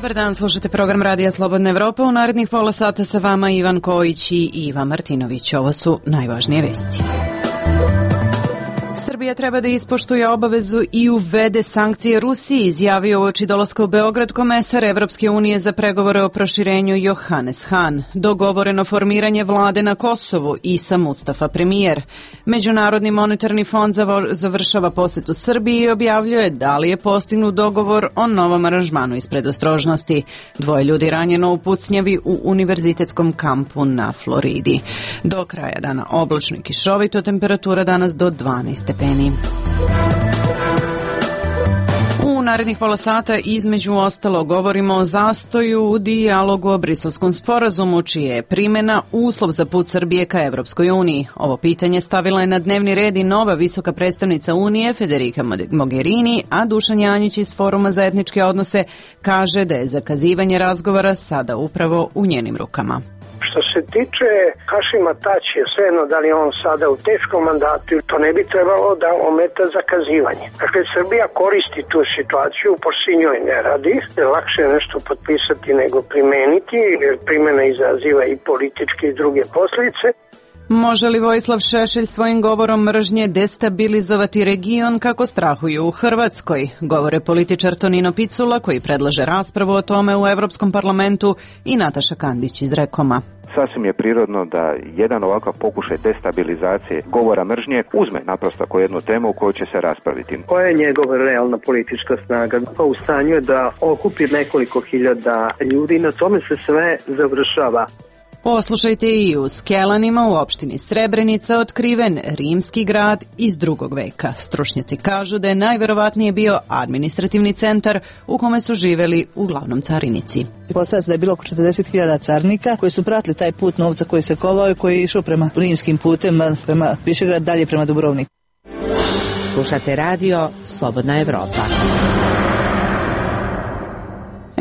Dobar dan, slušate program Radija Slobodna Evropa. U narednih pola sata sa vama Ivan Kojić i Iva Martinović. Ovo su najvažnije vesti. Srbija treba da ispoštuje obavezu i uvede sankcije Rusiji, izjavio uoči dolaska u Beograd komesar Evropske unije za pregovore o proširenju Johannes Hahn. Dogovoreno formiranje vlade na Kosovu, Isa Mustafa premijer. Međunarodni monetarni fond završava posetu Srbiji i objavljuje da li je postignut dogovor o novom aranžmanu iz predostrožnosti. 2 ljudi ranjeno u pucnjavi u univerzitetskom kampu na Floridi. Do kraja dana oblačno i kišovito, temperatura danas do 12 stepeni. U narednih pola sata između ostalo govorimo o zastoju u dijalogu o Briselskom sporazumu, čije je primjena uslov za put Srbije ka Evropskoj uniji. Ovo pitanje stavila je na dnevni red i nova visoka predstavnica Unije Federica Mogherini, a Dušan Janjić iz Foruma za etničke odnose kaže da je zakazivanje razgovora sada upravo u njenim rukama. Što se tiče Hašima Tačija, svejedno da li je on sada u teškom mandatu, to ne bi trebalo da ometa zakazivanje. Dakle, Srbija koristi tu situaciju, pošto njoj ne radi, lakše je nešto potpisati nego primeniti, jer primjena izaziva i političke i druge posljedice. Može li Vojislav Šešelj svojim govorom mržnje destabilizovati region kako strahuju u Hrvatskoj? Govore političar Tonino Picula koji predlaže raspravu o tome u Evropskom parlamentu i Nataša Kandić iz Rekoma. Sasvim je prirodno da jedan ovakav pokušaj destabilizacije govora mržnje uzme naprosto kao jednu temu koju će se raspraviti. Koja je njegova realna politička snaga? Pa u stanju je da okupi nekoliko hiljada ljudi, na tome se sve završava. Poslušajte i u Skelanima u opštini Srebrenica otkriven rimski grad iz 2. veka. Stručnjaci kažu da je najverovatnije bio administrativni centar u kome su živeli uglavnom carinici. Postavlja se da je bilo oko 40.000 carnika koji su pratili taj put novca koji se kovao i koji je išao prema rimskim putem, prema Višegrad, dalje prema Dubrovniku. Slušate radio Slobodna Evropa.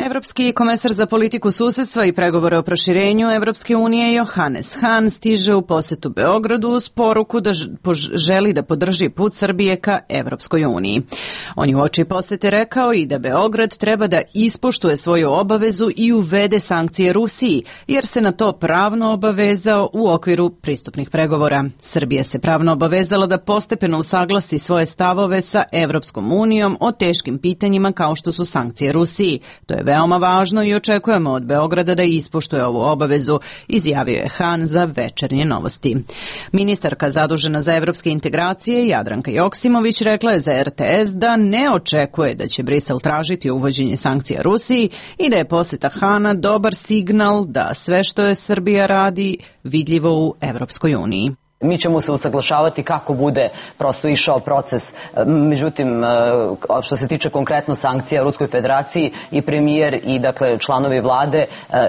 Evropski komesar za politiku susedstva i pregovore o proširenju Evropske unije Johannes Hahn stiže u posetu Beogradu uz poruku da želi da podrži put Srbije ka Evropskoj uniji. On je uoči posete rekao i da Beograd treba da ispoštuje svoju obavezu i uvede sankcije Rusiji, jer se na to pravno obavezao u okviru pristupnih pregovora. Srbija se pravno obavezala da postepeno usaglasi svoje stavove sa Evropskom unijom o teškim pitanjima kao što su sankcije Rusiji. To je veoma važno i očekujemo od Beograda da ispoštuje ovu obavezu, izjavio je Hahn za Večernje novosti. Ministarka zadužena za evropske integracije Jadranka Joksimović rekla je za RTS da ne očekuje da će Brisel tražiti uvođenje sankcija Rusiji i da je poseta Hahna dobar signal da sve što je Srbija radi vidljivo u Evropskoj uniji. Mi ćemo se usaglašavati kako bude prosto išao proces. Međutim, što se tiče konkretno sankcija Ruskoj federaciji, i premijer i dakle članovi vlade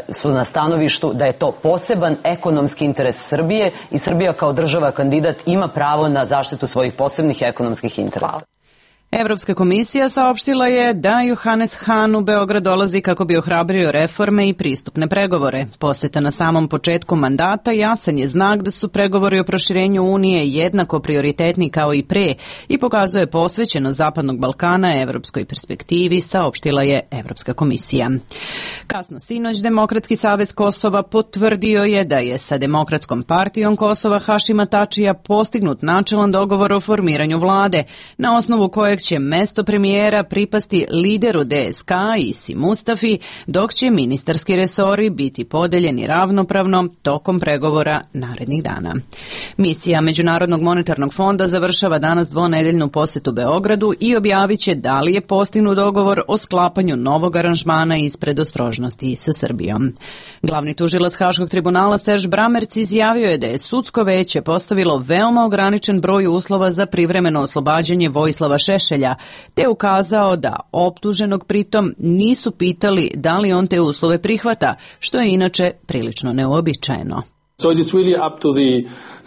su na stanovištu da je to poseban ekonomski interes Srbije i Srbija kao država kandidat ima pravo na zaštitu svojih posebnih ekonomskih interesa. Evropska komisija saopštila je da Johannes Hahn u Beograd dolazi kako bi ohrabrio reforme i pristupne pregovore. Poseta na samom početku mandata jasan je znak da su pregovori o proširenju Unije jednako prioritetni kao i pre i pokazuje posvećenost Zapadnog Balkana evropskoj perspektivi, saopštila je Evropska komisija. Kasno sinoć Demokratski savez Kosova potvrdio je da je sa Demokratskom partijom Kosova Hašima Tačija postignut načelan dogovor o formiranju vlade, na osnovu kojeg će mesto premijera pripasti lideru DSK Isi Mustafi, dok će ministarski resori biti podeljeni ravnopravno tokom pregovora narednih dana. Misija Međunarodnog monetarnog fonda završava danas dvonedeljnu posetu Beogradu i objavit će da li je postignut dogovor o sklapanju novog aranžmana iz predostrožnosti sa Srbijom. Glavni tužilac Haškog tribunala Serž Bramerc izjavio je da je sudsko veće postavilo veoma ograničen broj uslova za privremeno oslobađanje Vojislava Šešelja, te ukazao da optuženog pritom nisu pitali da li on te uslove prihvata, što je inače prilično neuobičajeno. So it is really up to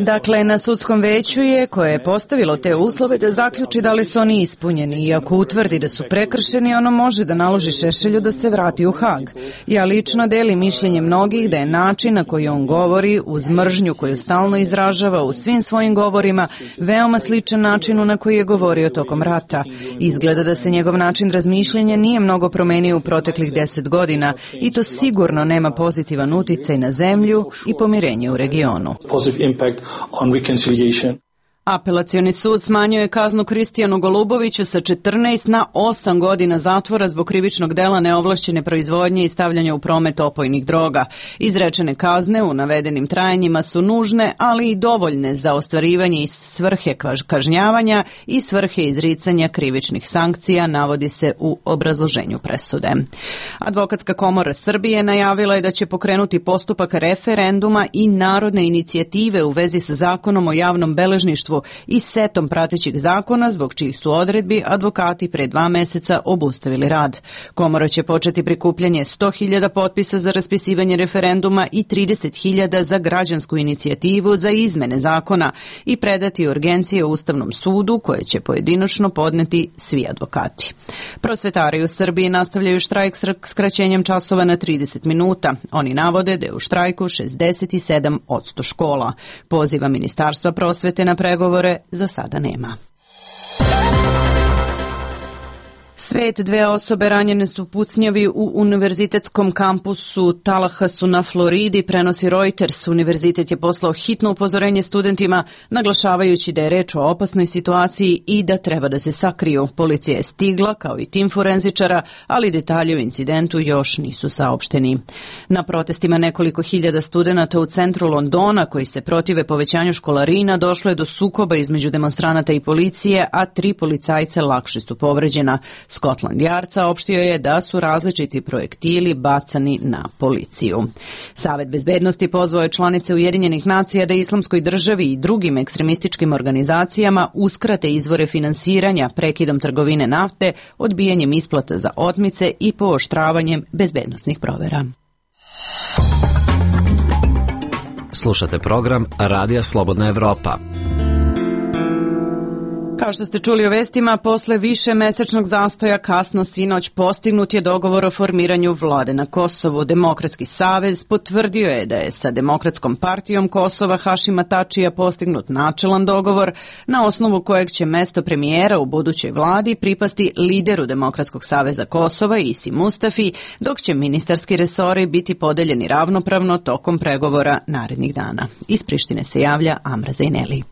Dakle, na sudskom veću je, koje je postavilo te uslove, da zaključi da li su oni ispunjeni i ako utvrdi da su prekršeni, ono može da naloži Šešelju da se vrati u Hag. Ja lično delim mišljenje mnogih da je način na koji on govori, uz mržnju koju stalno izražava u svim svojim govorima, veoma sličan načinu na koji je govorio tokom rata. Izgleda da se njegov način razmišljanja nije mnogo promenio u proteklih 10 godina i to sigurno nema pozitivan uticaj na zemlju i pomirenje u regionu. Apelacioni sud smanjio je kaznu Kristijanu Goluboviću sa 14 na 8 godina zatvora zbog krivičnog dela neovlašćene proizvodnje i stavljanja u promet opojnih droga. Izrečene kazne u navedenim trajanjima su nužne, ali i dovoljne za ostvarivanje i svrhe kažnjavanja i svrhe izricanja krivičnih sankcija, navodi se u obrazloženju presude. Advokatska komora Srbije najavila je da će pokrenuti postupak referenduma i narodne inicijative u vezi sa zakonom o javnom beležništvu i setom pratećih zakona, zbog čijih su odredbi advokati pre 2 meseca obustavili rad. Komora će početi prikupljanje 100.000 potpisa za raspisivanje referenduma i 30.000 za građansku inicijativu za izmene zakona i predati urgencije Ustavnom sudu, koje će pojedinačno podneti svi advokati. Prosvetari u Srbiji nastavljaju štrajk s skraćenjem časova na 30 minuta. Oni navode da je u štrajku 67% škola. Poziva Ministarstva prosvete na pregovore za sada nema. Svet, 2 osobe ranjene su pucnjavi u univerzitetskom kampusu Tallahassu na Floridi, prenosi Reuters. Univerzitet je poslao hitno upozorenje studentima, naglašavajući da je reč o opasnoj situaciji i da treba da se sakriju. Policija je stigla, kao i tim forenzičara, ali detalji o incidentu još nisu saopšteni. Na protestima nekoliko hiljada studenata u centru Londona, koji se protive povećanju školarina, došlo je do sukoba između demonstranata i policije, a 3 policajca lakše su povređena. Scotland Yard saopštio je da su različiti projektili bacani na policiju. Savet bezbednosti pozvao je članice Ujedinjenih nacija da Islamskoj državi i drugim ekstremističkim organizacijama uskrate izvore finansiranja prekidom trgovine nafte, odbijanjem isplata za otmice i pooštravanjem bezbednosnih provera. Slušate program Radija Slobodna Evropa. Kao što ste čuli o vestima, posle više mesečnog zastoja kasno sinoć postignut je dogovor o formiranju vlade na Kosovu. Demokratski savez potvrdio je da je sa Demokratskom partijom Kosova Hašima Tačija postignut načelan dogovor, na osnovu kojeg će mesto premijera u budućoj vladi pripasti lideru Demokratskog saveza Kosova Isi Mustafi, dok će ministarski resori biti podeljeni ravnopravno tokom pregovora narednih dana. Iz Prištine se javlja Amra Zajneli.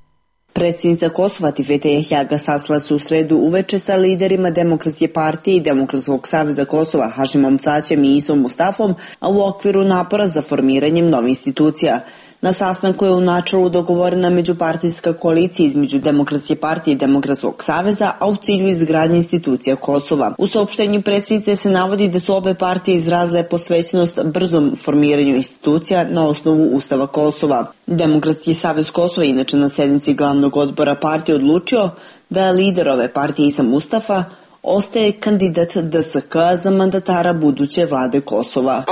Predsjednica Kosova Atifete Jahjaga sastala se u sredu uveče sa liderima Demokratske partije i Demokratskog saveza Kosova Hašimom Tačijem i Isom Mustafom, a u okviru napora za formiranjem novih institucija. Na sastanku je u načelu dogovorena međupartijska koalicija između Demokratske partije i Demokratskog saveza, a u cilju izgradnje institucija Kosova. U saopštenju predsjednice se navodi da su obe partije izrazile posvećenost brzom formiranju institucija na osnovu Ustava Kosova. Demokratski savez Kosova inače na sednici glavnog odbora partije odlučio da lider ove partije Isa Mustafa ostaje kandidat DSK za mandatara buduće vlade Kosova.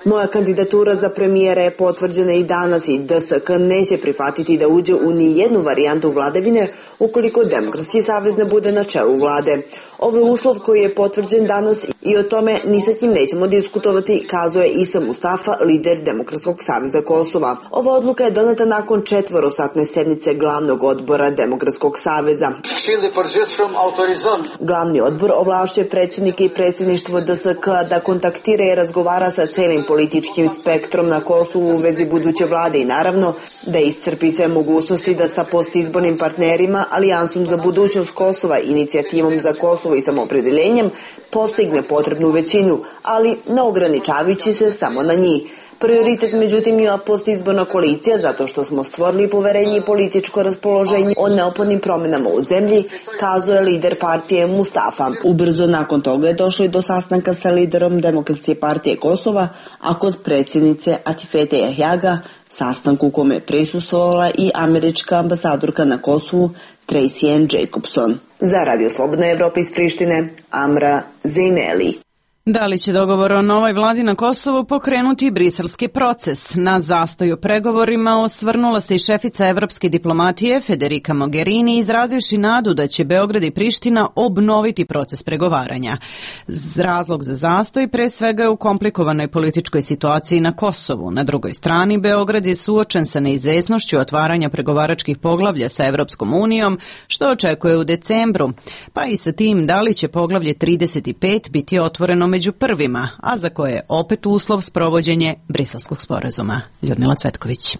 Moja kandidatura za premijera je potvrđena i danas i DSK neće prihvatiti da uđe u ni jednu varijantu vladavine ukoliko Demokratski savez ne bude na čelu vlade. Ovo je uslov koji je potvrđen danas i o tome ni sa kim nećemo diskutovati, kazao je Isa Mustafa, lider Demokratskog saveza Kosova. Ova odluka je doneta nakon 4-satne sednice glavnog odbora Demokratskog saveza. Glavni odbor ovlašćuje predsjednike i predsjedništvo DSK da kontaktira i razgovara sa celim političkim spektrom na Kosovu u vezi buduće vlade i naravno da iscrpi sve mogućnosti da sa postizbornim partnerima, Alijansom za budućnost Kosova, Inicijativom za Kosovo i samoopredjeljenjem postigne potrebnu većinu, ali ne ograničavajući se samo na njih. Prioritet međutim ima postizborna koalicija zato što smo stvorili poverenje i političko raspoloženje o neophodnim promjenama u zemlji, kazao je lider partije Mustafa. Ubrzo nakon toga je došlo i do sastanka sa liderom Demokratske partije Kosova, a kod predsjednice Atifete Jahjaga sastanku kome je prisustvovala i američka ambasadorka na Kosovu Tracy Ann Jacobson. Za Radio Slobodna Evropa iz Prištine, Amra Zajneli. Da li će dogovor o novoj vladi na Kosovu pokrenuti briselski proces? Na zastoj u pregovorima osvrnula se i šefica evropske diplomatije Federica Mogherini, izrazivši nadu da će Beograd i Priština obnoviti proces pregovaranja. Razlog za zastoj pre svega je u komplikovanoj političkoj situaciji na Kosovu. Na drugoj strani, Beograd je suočen sa neizvesnošću otvaranja pregovaračkih poglavlja sa Evropskom unijom, što očekuje u decembru, pa i sa tim da li će poglavlje 35 biti otvoreno među prvima, a za koje je opet uslov sprovođenje Briselskog sporazuma. Ljudmila Cvetković.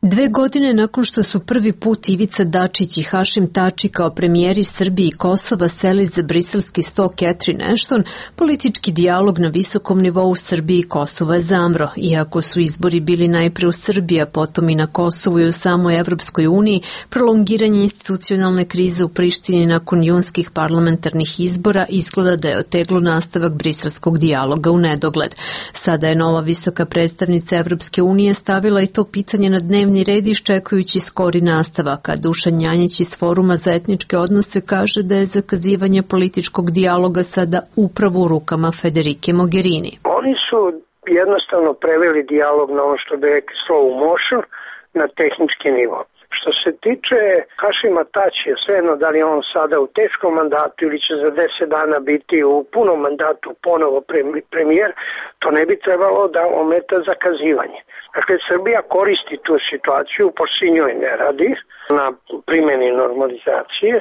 2 godine nakon što su prvi put Ivica Dačić i Hašim Tači kao premijeri Srbije i Kosova seli za briselski sto Catherine Ashton, politički dijalog na visokom nivou Srbije i Kosova je zamro. Iako su izbori bili najpre u Srbiji, a potom i na Kosovu i u samoj Evropskoj uniji, prolongiranje institucionalne krize u Prištini nakon junskih parlamentarnih izbora izgleda da je oteglo nastavak briselskog dijaloga u nedogled. Sada je nova visoka predstavnica Evropske unije stavila i to pitanje na dnevni red iščekujući skori nastavak, a Dušan Janjić iz Foruma za etničke odnose kaže da je zakazivanje političkog dijaloga sada upravo u rukama Federike Mogherini. Oni su jednostavno preveli dijalog na ono što bi rekli slow motion, na tehnički nivo. Što se tiče Hašima Tačija, svejedno da li on sada u teškom mandatu ili će za 10 dana biti u punom mandatu ponovo premijer, to ne bi trebalo da ometa zakazivanje. Dakle, Srbija koristi tu situaciju, pošto njoj ne radi na primjeni normalizacije.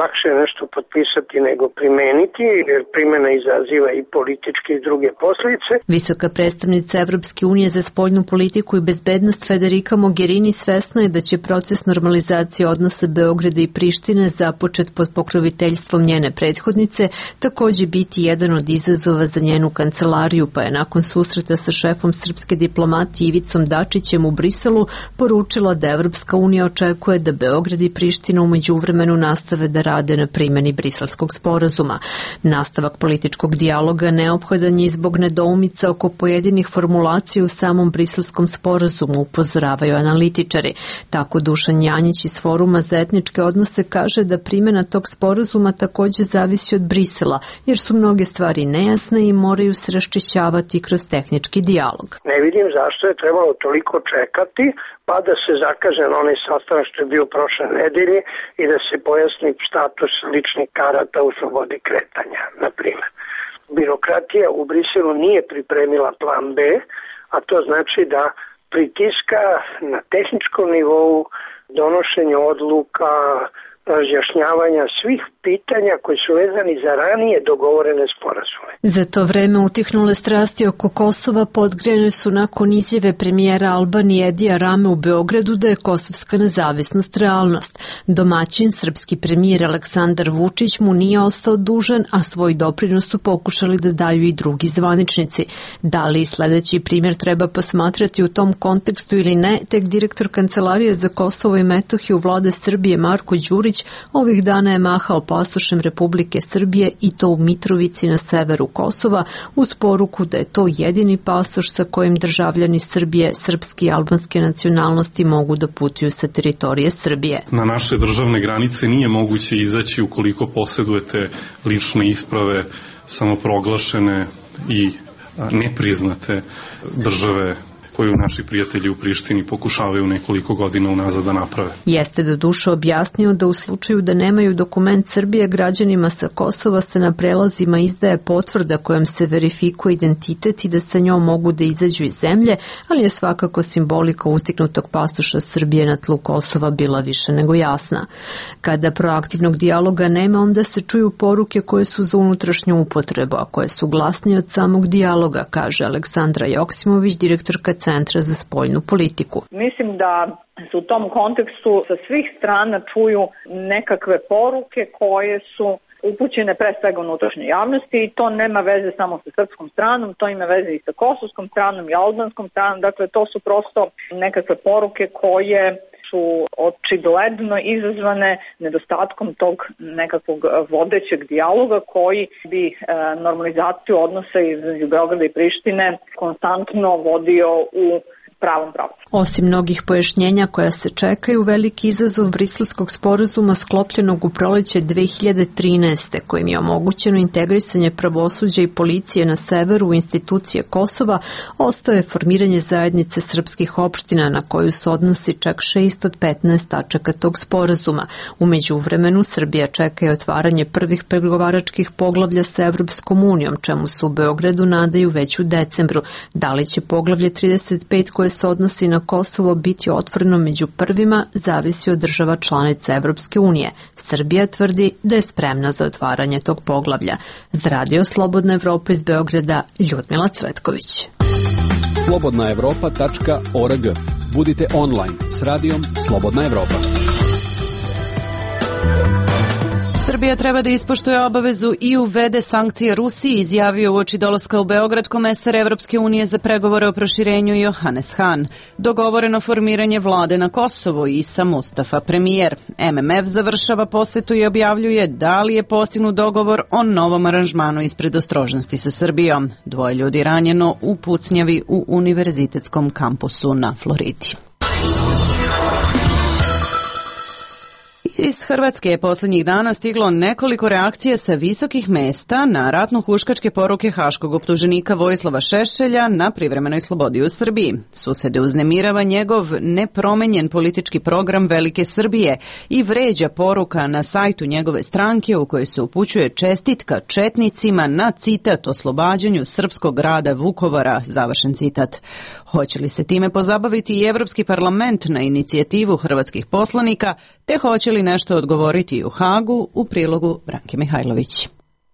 Lakše je nešto potpisati nego primeniti, jer primjena izaziva i političke i druge posljedice. Visoka predstavnica Evropske unije za spoljnu politiku i bezbednost Federica Mogherini svesna je da će proces normalizacije odnosa Beograda i Prištine započet pod pokroviteljstvom njene prethodnice takođe biti jedan od izazova za njenu kancelariju, pa je nakon susreta sa šefom srpske diplomatije Ivicom Dačićem u Briselu poručila da Evropska unija očekuje da Beograd i Priština u međuvremenu nastave da rade na primjeni Briselskog sporazuma. Nastavak političkog dijaloga neophodan je zbog nedoumica oko pojedinih formulacija u samom Briselskom sporazumu, upozoravaju analitičari. Tako Dušan Janjić iz Foruma za etničke odnose kaže da primjena tog sporazuma takođe zavisi od Brisela, jer su mnoge stvari nejasne i moraju se raščišćavati kroz tehnički dijalog. Ne vidim zašto je trebalo toliko čekati, pa da se zakaže na onaj sastanak što je bio prošle nedelje i da se pojasni status ličnih karata u slobodi kretanja, na primjer. Birokratija u Briselu nije pripremila plan B, a to znači da pritiska na tehničkom nivou donošenje odluka, razjašnjavanja svih pitanja koji su vezani za ranije dogovorene sporazume. Za to vreme utihnule strasti oko Kosova podgrejane su nakon izjave premijera Albanije Edija Rame u Beogradu da je kosovska nezavisnost realnost. Domaćin, srpski premijer Aleksandar Vučić mu nije ostao dužan, a svoj doprinos su pokušali da daju i drugi zvaničnici. Da li sledeći primjer treba posmatrati u tom kontekstu ili ne, tek direktor Kancelarije za Kosovo i Metohiju Vlade Srbije Marko Đurić ovih dana je mahao pasošem Republike Srbije i to u Mitrovici na severu Kosova uz poruku da je to jedini pasoš sa kojim državljani Srbije, srpske i albanske nacionalnosti mogu da putuju sa teritorije Srbije. Na naše državne granice nije moguće izaći ukoliko posjedujete lične isprave samoproglašene i nepriznate države koju naši prijatelji u Prištini pokušavaju nekoliko godina unazad da naprave. Jeste do duše objasnio da u slučaju da nemaju dokument Srbije, građanima sa Kosova se na prelazima izdaje potvrda kojom se verifikuje identitet i da sa njom mogu da izađu iz zemlje, ali je svakako simbolika ustignutog pasoša Srbije na tlu Kosova bila više nego jasna. Kada proaktivnog dijaloga nema, onda se čuju poruke koje su za unutrašnju upotrebu, a koje su glasnije od samog dijaloga, kaže Aleksandra Joksimović, direktorka Centra za spoljnu politiku. Mislim da se u tom kontekstu sa svih strana čuju nekakve poruke koje su upućene pre svega unutrašnjoj javnosti i to nema veze samo sa srpskom stranom, to ima veze i sa kosovskom stranom i albanskom stranom, dakle to su prosto nekakve poruke koje su očigledno izazvane nedostatkom tog nekakvog vodećeg dijaloga koji bi normalizaciju odnosa između Beograda i Prištine konstantno vodio u pravom pravcu. Osim mnogih pojašnjenja koja se čekaju, veliki izazov briselskog sporazuma sklopljenog u proleće 2013. kojim je omogućeno integrisanje pravosuđa i policije na severu u institucije Kosova, ostaje formiranje zajednice srpskih opština na koju se odnosi čak 6 od 15 tačaka tog sporazuma. U međuvremenu Srbija čeka i otvaranje prvih pregovaračkih poglavlja sa Evropskom unijom, čemu se u Beogradu nadaju već u decembru. Da li će poglavlje 35 koje se odnosi na Kosovo biti otvoreno među prvima zavisi od država članica Evropske unije. Srbija tvrdi da je spremna za otvaranje tog poglavlja. Za Radio Slobodna Evropa iz Beograda, Ljudmila Cvetković. slobodnaevropa.org. Budite online s radijom Slobodna Evropa. Srbija treba da ispoštuje obavezu i uvede sankcije Rusiji, izjavio uoči dolaska u Beograd komesar Evropske unije za pregovore o proširenju Johannes Hahn. Dogovoreno formiranje vlade na Kosovo i Isa Mustafa, premijer. MMF završava posetu i objavljuje da li je postignut dogovor o novom aranžmanu iz predostrožnosti sa Srbijom. 2 ljudi ranjeno u pucnjavi u univerzitetskom kampusu na Floridi. Iz Hrvatske je posljednjih dana stiglo nekoliko reakcija sa visokih mesta na ratno-huškačke poruke haškog optuženika Vojislava Šešelja na privremenoj slobodi u Srbiji. Susede uznemirava njegov nepromenjen politički program Velike Srbije i vređa poruka na sajtu njegove stranke u kojoj se upućuje čestitka četnicima na citat oslobađanju srpskog grada Vukovara, završen citat. Hoće li se time pozabaviti i Evropski parlament na inicijativu hrvatskih poslanika, te hoće li nešto odgovoriti u Hagu, u prilogu Branke Mihajlović.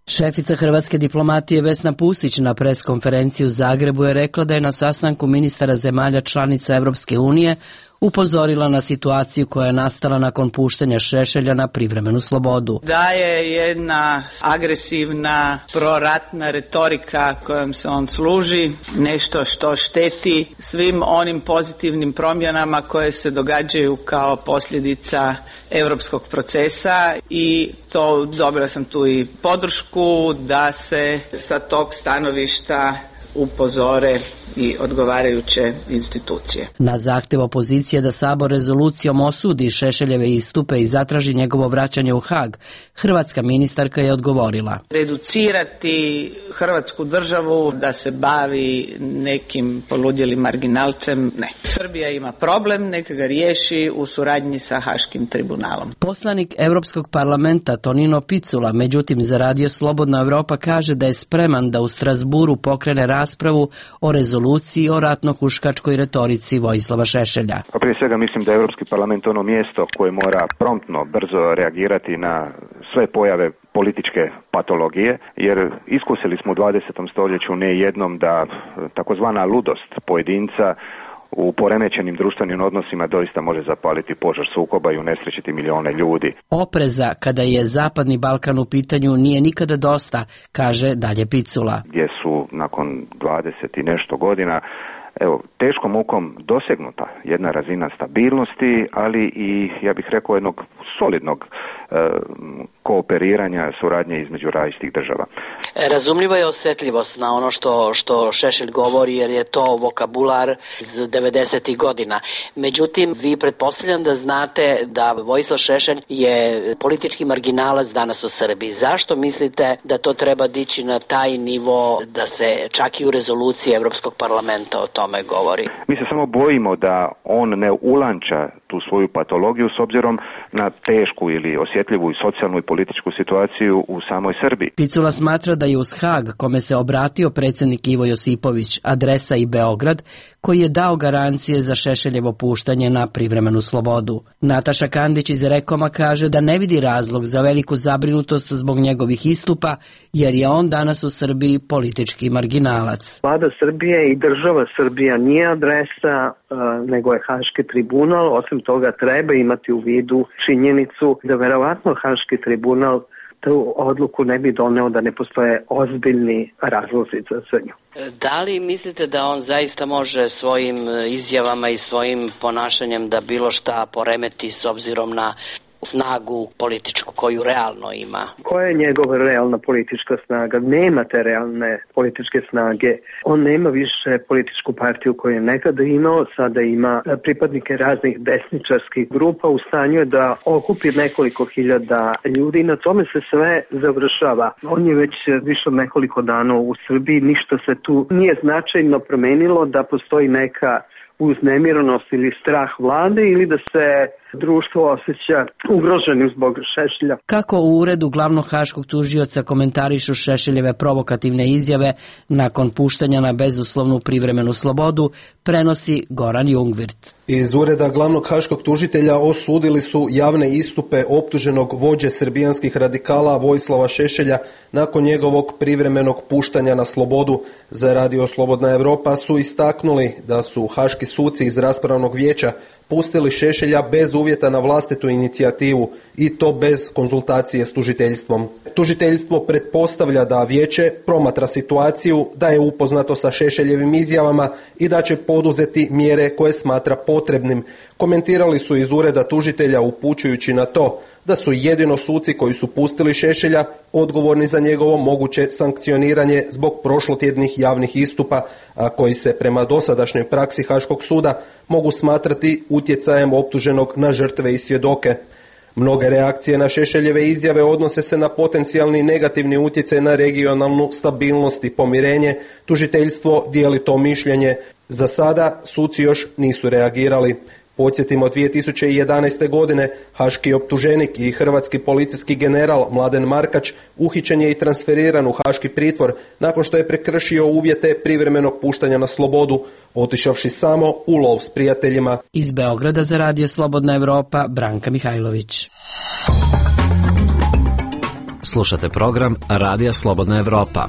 Šefica hrvatske diplomatije Vesna Pusić na preskonferenciji u Zagrebu je rekla da je na sastanku ministara zemalja članica Evropske unije upozorila na situaciju koja je nastala nakon puštanja Šešelja na privremenu slobodu. Da je jedna agresivna proratna retorika kojom se on služi, nešto što šteti svim onim pozitivnim promjenama koje se događaju kao posljedica europskog procesa i to dobila sam tu i podršku da se sa tog stanovišta upozore i odgovarajuće institucije. Na zahtjev opozicije da Sabor rezolucijom osudi Šešeljeve istupe i zatraži njegovo vraćanje u Hag, hrvatska ministarka je odgovorila. Reducirati Hrvatsku državu da se bavi nekim poludjelim marginalcem, ne. Srbija ima problem, neka ga riješi u suradnji sa Haškim tribunalom. Poslanik Europskog parlamenta Tonino Picula, međutim za Radio Slobodna Evropa, kaže da je spreman da u Strasburu pokrene raspravu o rezoluciji o ratno-huškačkoj retorici Vojislava Šešelja. Pa prije svega mislim da je Europski parlament ono mjesto koje mora promptno, brzo reagirati na sve pojave političke patologije, jer iskusili smo u 20. stoljeću ne jednom da takozvana ludost pojedinca u poremećenim društvenim odnosima doista može zapaliti požar sukoba i unesrećiti milijone ljudi. Opreza kada je Zapadni Balkan u pitanju nije nikada dosta, kaže dalje Picula. Gdje su nakon 20 i nešto godina teškom mukom dosegnuta jedna razina stabilnosti, ali i, ja bih rekao, jednog solidnog kooperiranja, suradnje između različitih država. Razumljiva je osjetljivost na ono što Šešelj govori, jer je to vokabular iz 90. godina. Međutim, vi pretpostavljam da znate da Vojislav Šešelj je politički marginalac danas u Srbiji. Zašto mislite da to treba dići na taj nivo da se čak i u rezoluciji Evropskog parlamenta o tome govori? Mi se samo bojimo da on ne ulanča tu svoju patologiju s obzirom na tešku ili osjetljivu i socijalnu i političku situaciju u samoj Srbiji. Picula smatra da je uz Hag, kome se obratio predsjednik Ivo Josipović, adresa i Beograd, koji je dao garancije za Šešeljevo puštanje na privremenu slobodu. Nataša Kandić iz Rekoma kaže da ne vidi razlog za veliku zabrinutost zbog njegovih istupa, jer je on danas u Srbiji politički marginalac. Vlada Srbije i država Srbija nije adresa, nego je Haški tribunal. Osim toga treba imati u vidu činjenicu da verovatno Haški tribunal tu odluku ne bi doneo da ne postoje ozbiljni razlozi za nju. Da li mislite da on zaista može svojim izjavama i svojim ponašanjem da bilo šta poremeti s obzirom na snagu političku koju realno ima. Koja je njegova realna politička snaga? Nema te realne političke snage. On nema više političku partiju koju je nekada imao, sada ima pripadnike raznih desničarskih grupa, u stanju je da okupi nekoliko hiljada ljudi i na tome se sve završava. On je već više od nekoliko dana u Srbiji, ništa se tu nije značajno promenilo, da postoji neka uznemirenost ili strah vlade ili da se društvo osjeća ugroženim zbog Šešelja. Kako u uredu glavnog haškog tužioca komentarišu Šešeljeve provokativne izjave nakon puštanja na bezuslovnu privremenu slobodu, prenosi Goran Jungvirt. Iz ureda glavnog haškog tužitelja osudili su javne istupe optuženog vođe srbijanskih radikala Vojislava Šešelja nakon njegovog privremenog puštanja na slobodu. Za Radio Slobodna Evropa su istaknuli da su haški suci iz raspravnog vijeća pustili Šešelja bez uvjeta na vlastitu inicijativu i to bez konzultacije s tužiteljstvom. Tužiteljstvo pretpostavlja da vijeće promatra situaciju, da je upoznato sa Šešeljevim izjavama i da će poduzeti mjere koje smatra potrebnim. Komentirali su iz ureda tužitelja upućujući na to da su jedino suci koji su pustili Šešelja odgovorni za njegovo moguće sankcioniranje zbog prošlotjednih javnih istupa, a koji se prema dosadašnjoj praksi Haškog suda mogu smatrati utjecajem optuženog na žrtve i svjedoke. Mnoge reakcije na Šešeljeve izjave odnose se na potencijalni negativni utjecaj na regionalnu stabilnost i pomirenje. Tužiteljstvo dijeli to mišljenje. Za sada suci još nisu reagirali. Podsjetimo, 2011. godine haški optuženik i hrvatski policijski general Mladen Markač uhićen je i transferiran u haški pritvor nakon što je prekršio uvjete privremenog puštanja na slobodu, otišavši samo u lov s prijateljima. Iz Beograda za Radio Slobodna Evropa, Branka Mihajlović. Slušate program Radija Slobodna Evropa.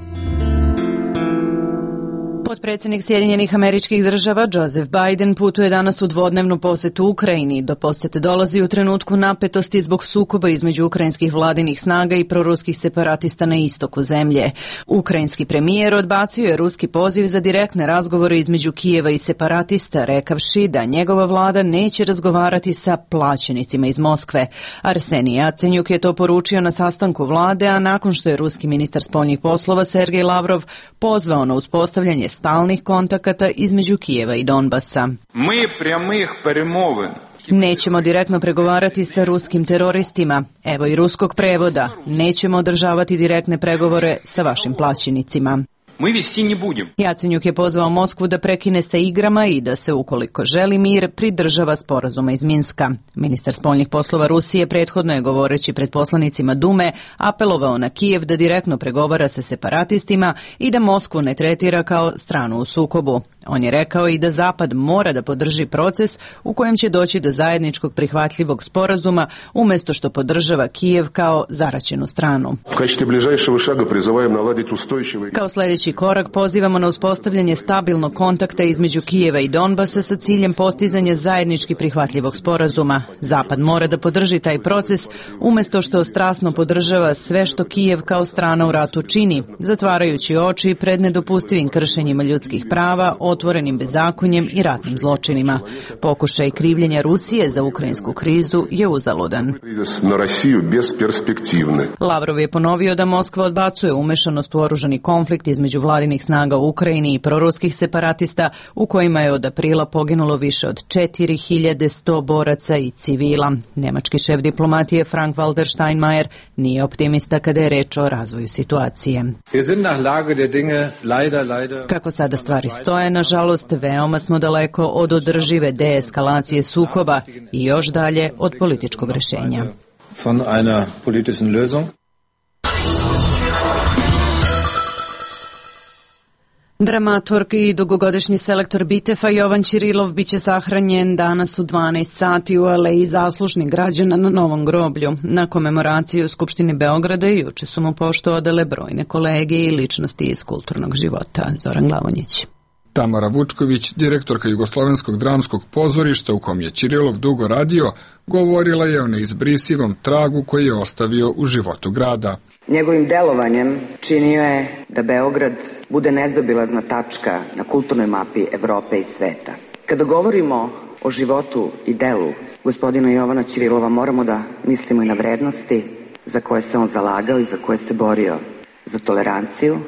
Potpredsjednik Sjedinjenih Američkih Država Joseph Biden putuje danas u dvodnevnu posetu Ukrajini. Do posete dolazi u trenutku napetosti zbog sukoba između ukrajinskih vladinih snaga i proruskih separatista na istoku zemlje. Ukrajinski premijer odbacio je ruski poziv za direktne razgovore između Kijeva i separatista, rekavši da njegova vlada neće razgovarati sa plaćenicima iz Moskve. Arsenij Jacenjuk je to poručio na sastanku vlade, a nakon što je ruski ministar spoljnih poslova Sergej Lavrov pozvao na uspostavljanje stalnih kontakata između Kijeva i Donbasa. Nećemo direktno pregovarati sa ruskim teroristima. Evo i ruskog prevoda. Nećemo održavati direktne pregovore sa vašim plaćenicima. Jacenjuk je pozvao Moskvu da prekine sa igrama i da se, ukoliko želi mir, pridržava sporazuma iz Minska. Ministar spoljnih poslova Rusije prethodno je, govoreći pred poslanicima Dume, apelovao na Kijev da direktno pregovara sa separatistima i da Moskvu ne tretira kao stranu u sukobu. On je rekao i da Zapad mora da podrži proces u kojem će doći do zajedničkog prihvatljivog sporazuma, umjesto što podržava Kijev kao zaraćenu stranu. Kao sljedeći korak pozivamo na uspostavljanje stabilnog kontakta između Kijeva i Donbasa sa ciljem postizanja zajednički prihvatljivog sporazuma. Zapad mora da podrži taj proces, umjesto što strasno podržava sve što Kijev kao strana u ratu čini, zatvarajući oči pred nedopustivim kršenjima ljudskih prava, otvorenim bezakonjem i ratnim zločinima. Pokušaj krivljenja Rusije za ukrajinsku krizu je uzaludan. Lavrov je ponovio da Moskva odbacuje umešanost u oružani konflikt između vladinih snaga u Ukrajini i proruskih separatista, u kojima je od aprila poginulo više od 4100 boraca i civila. Nemački šef diplomatije Frank-Walter Steinmeier nije optimista kada je reč o razvoju situacije. Kako sada stvari stoje, nažalost, veoma smo daleko od održive deeskalacije sukoba i još dalje od političkog rešenja. Dramaturg i dugogodišnji selektor Bitefa Jovan Ćirilov biće sahranjen danas u 12 sati u aleji zaslužnih građana na Novom groblju. Na komemoraciju u Skupštini Beograda juče su mu poštu odale brojne kolege i ličnosti iz kulturnog života. Zoran Glavonjić. Tamara Vučković, direktorka Jugoslovenskog dramskog pozorišta u kom je Ćirilov dugo radio, govorila je o neizbrisivom tragu koji je ostavio u životu grada. Njegovim delovanjem činio je da Beograd bude nezaobilazna tačka na kulturnoj mapi Evrope i sveta. Kada govorimo o životu i delu gospodina Jovana Ćirilova moramo da mislimo i na vrednosti za koje se on zalagao i za koje se borio. Za toleranciju,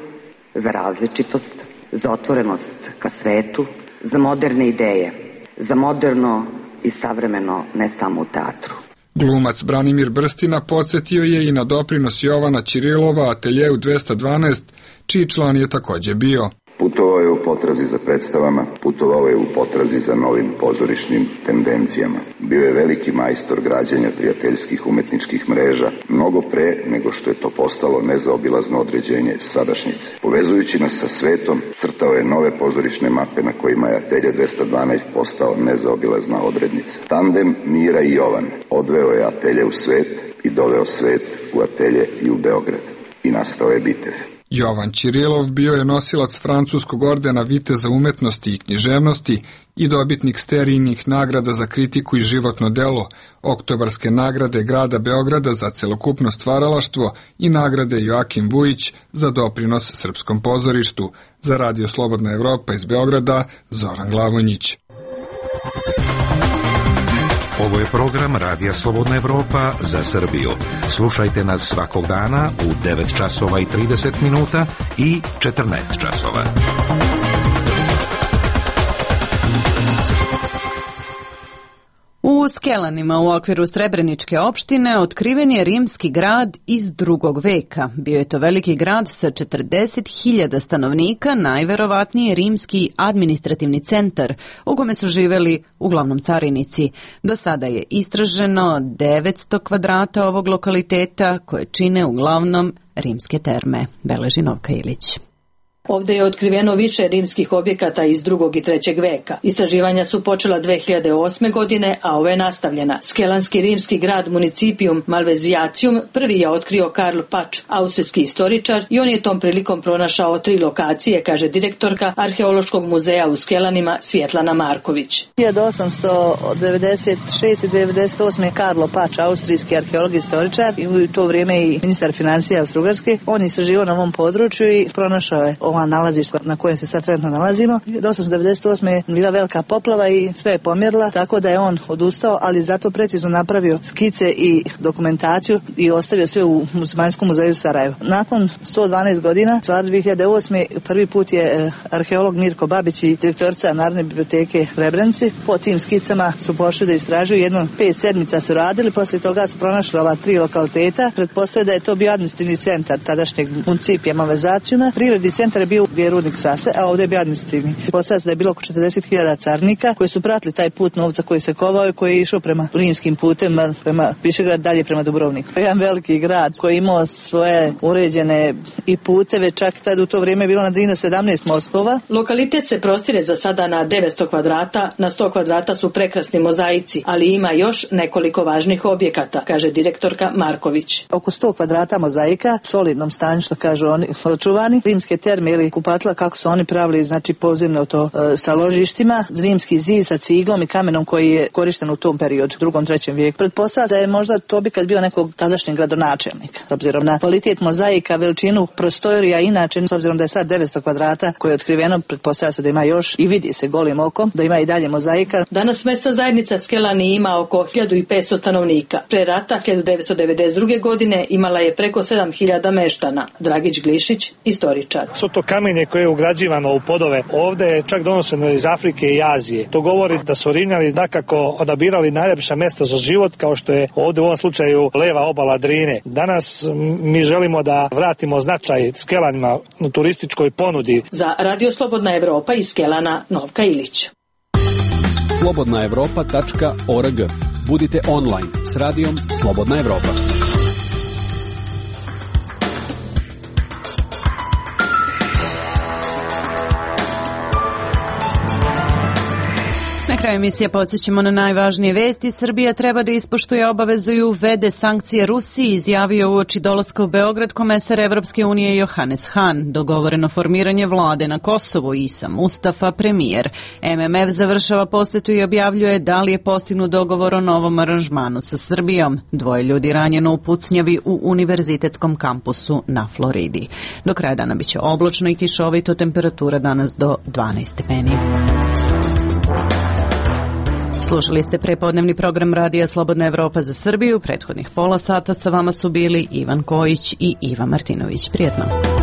za različitost, za otvorenost ka svetu, za moderne ideje, za moderno i savremeno ne samo u teatru. Glumac Branimir Brstina podsjetio je i na doprinos Jovana Ćirilova ateljeu 212, čiji član je takođe bio. Putovao je u potrazi za predstavama, putovao je u potrazi za novim pozorišnim tendencijama. Bio je veliki majstor građenja prijateljskih umetničkih mreža, mnogo pre nego što je to postalo nezaobilazno određenje sadašnjice. Povezujući nas sa svetom, crtao je nove pozorišne mape na kojima je atelje 212 postao nezaobilazna odrednica. Tandem Mira i Jovan odveo je atelje u svet i doveo svet u atelje i u Beograd. I nastao je bitev. Jovan Ćirilov bio je nosilac francuskog ordena Viteza umetnosti i književnosti i dobitnik sterijnih nagrada za kritiku i životno delo, oktobarske nagrade grada Beograda za celokupno stvaralaštvo i nagrade Joakim Vujić za doprinos srpskom pozorištu. Za Radio Slobodna Evropa iz Beograda, Zoran Glavonjić. Ovo je program Radija Slobodna Evropa za Srbiju. Slušajte nas svakog dana u 9 časova i 30 minuta i 14 časova. U Skelanima u okviru Srebreničke opštine otkriven je rimski grad iz 2. veka. Bio je to veliki grad sa 40.000 stanovnika, najverovatnije rimski administrativni centar u kome su živeli uglavnom carinici. Do sada je istraženo 900 kvadrata ovog lokaliteta koje čine uglavnom rimske terme. Beleži Novka Ilić. Ovde je otkriveno više rimskih objekata iz 2. i 3. veka. Istraživanja su počela 2008. godine, a ova je nastavljena. Skelanski rimski grad Municipium Malveziacium prvi je otkrio Karl Pač, austrijski istoričar, i on je tom prilikom pronašao 3 lokacije, kaže direktorka Arheološkog muzeja u Skelanima Svjetlana Marković. 1896. i 98. Karlo Pač, austrijski arheolog i istoričar, i u to vrijeme i ministar financija Austrougarske. On je istraživao na ovom području i pronašao je ova nalazišta na kojem se sad trenutno nalazimo. 1898. je bila velika poplava i sve je pomjerla, tako da je on odustao, ali zato precizno napravio skice i dokumentaciju i ostavio sve u Muslimanskom muzeju Sarajevo. Nakon 112 godina, stvar 2008. prvi put je arheolog Mirko Babić i direktorica Narodne biblioteke Srebrenici po tim skicama su pošli da istražuju. Jedno 5 sedmica su radili, poslije toga su pronašli ova 3 lokaliteta. Pretpostavljaju da je to bio administrativni centar tadašnjeg Municipija Malveziaciuma. Prirodni centar je bio gdje je rudnik Sase, a ovdje je bio administrativni. Postavlja se da je bilo oko 40.000 carnika koji su pratili taj put novca koji se kovao i koji je išao prema rimskim putem, prema Višegrad, dalje prema Dubrovniku. Jedan veliki grad koji imao svoje uređene i puteve, čak tad u to vrijeme je bilo na Drinu 17 mostova. Lokalitet se prostire za sada na 900 kvadrata, na 100 kvadrata su prekrasni mozaici, ali ima još nekoliko važnih objekata, kaže direktorka Marković. Oko 100 kvadrata mozaika, u solidnom stanju, što kažu oni, očuvani. Rimske terme ili kupatila, kako su oni pravili, znači podzemno to sa ložištima, rimski zid sa ciglom i kamenom koji je korišten u tom periodu, 2. 3. vijeku. Pretpostavlja da je možda to objekat bio nekog tadašnjeg gradonačelnika. S obzirom na kvalitet mozaika, veličinu prostorija, inače, s obzirom da je sad 900 kvadrata koje je otkriveno, pretpostavlja se da ima još i vidi se golim okom, da ima i dalje mozaika. Danas mesna zajednica Skelani ima oko 1500 stanovnika. Pre rata, 1992. godine, imala je preko 7000 meštana. Dragić Glišić, istoričar. Svo to kamenje koje je ugrađivano u podove ovde je čak donošeno iz Afrike i Azije. To govori da su Rimljani dakako odabirali najljepša mesta za život, kao što je ovde u ovom slučaju leva obala Drine. Danas mi želimo da vratimo značaj Skelanima u turističkoj ponudi. Za Radio Slobodna Evropa iz Skelana, Novka Ilić. slobodnaevropa.org. Budite online s radijom Slobodna Evropa. Na kraju emisije podsjećamo na najvažnije vesti. Srbija treba da ispoštuje obavezu i uvede sankcije Rusiji, izjavio uoči dolaska u Beograd komesar Evropske unije Johannes Hahn. Dogovoreno formiranje vlade na Kosovu, Isa Mustafa, premijer. MMF završava posetu i objavljuje da li je postignut dogovor o novom aranžmanu sa Srbijom. 2 ljudi ranjeno u pucnjavi u univerzitetskom kampusu na Floridi. Do kraja dana biće oblačno i kišovito, temperatura danas do 12 stepeni. Slušali ste prepodnevni program Radija Slobodna Evropa za Srbiju. Prethodnih pola sata sa vama su bili Ivan Kojić i Iva Martinović. Prijetno.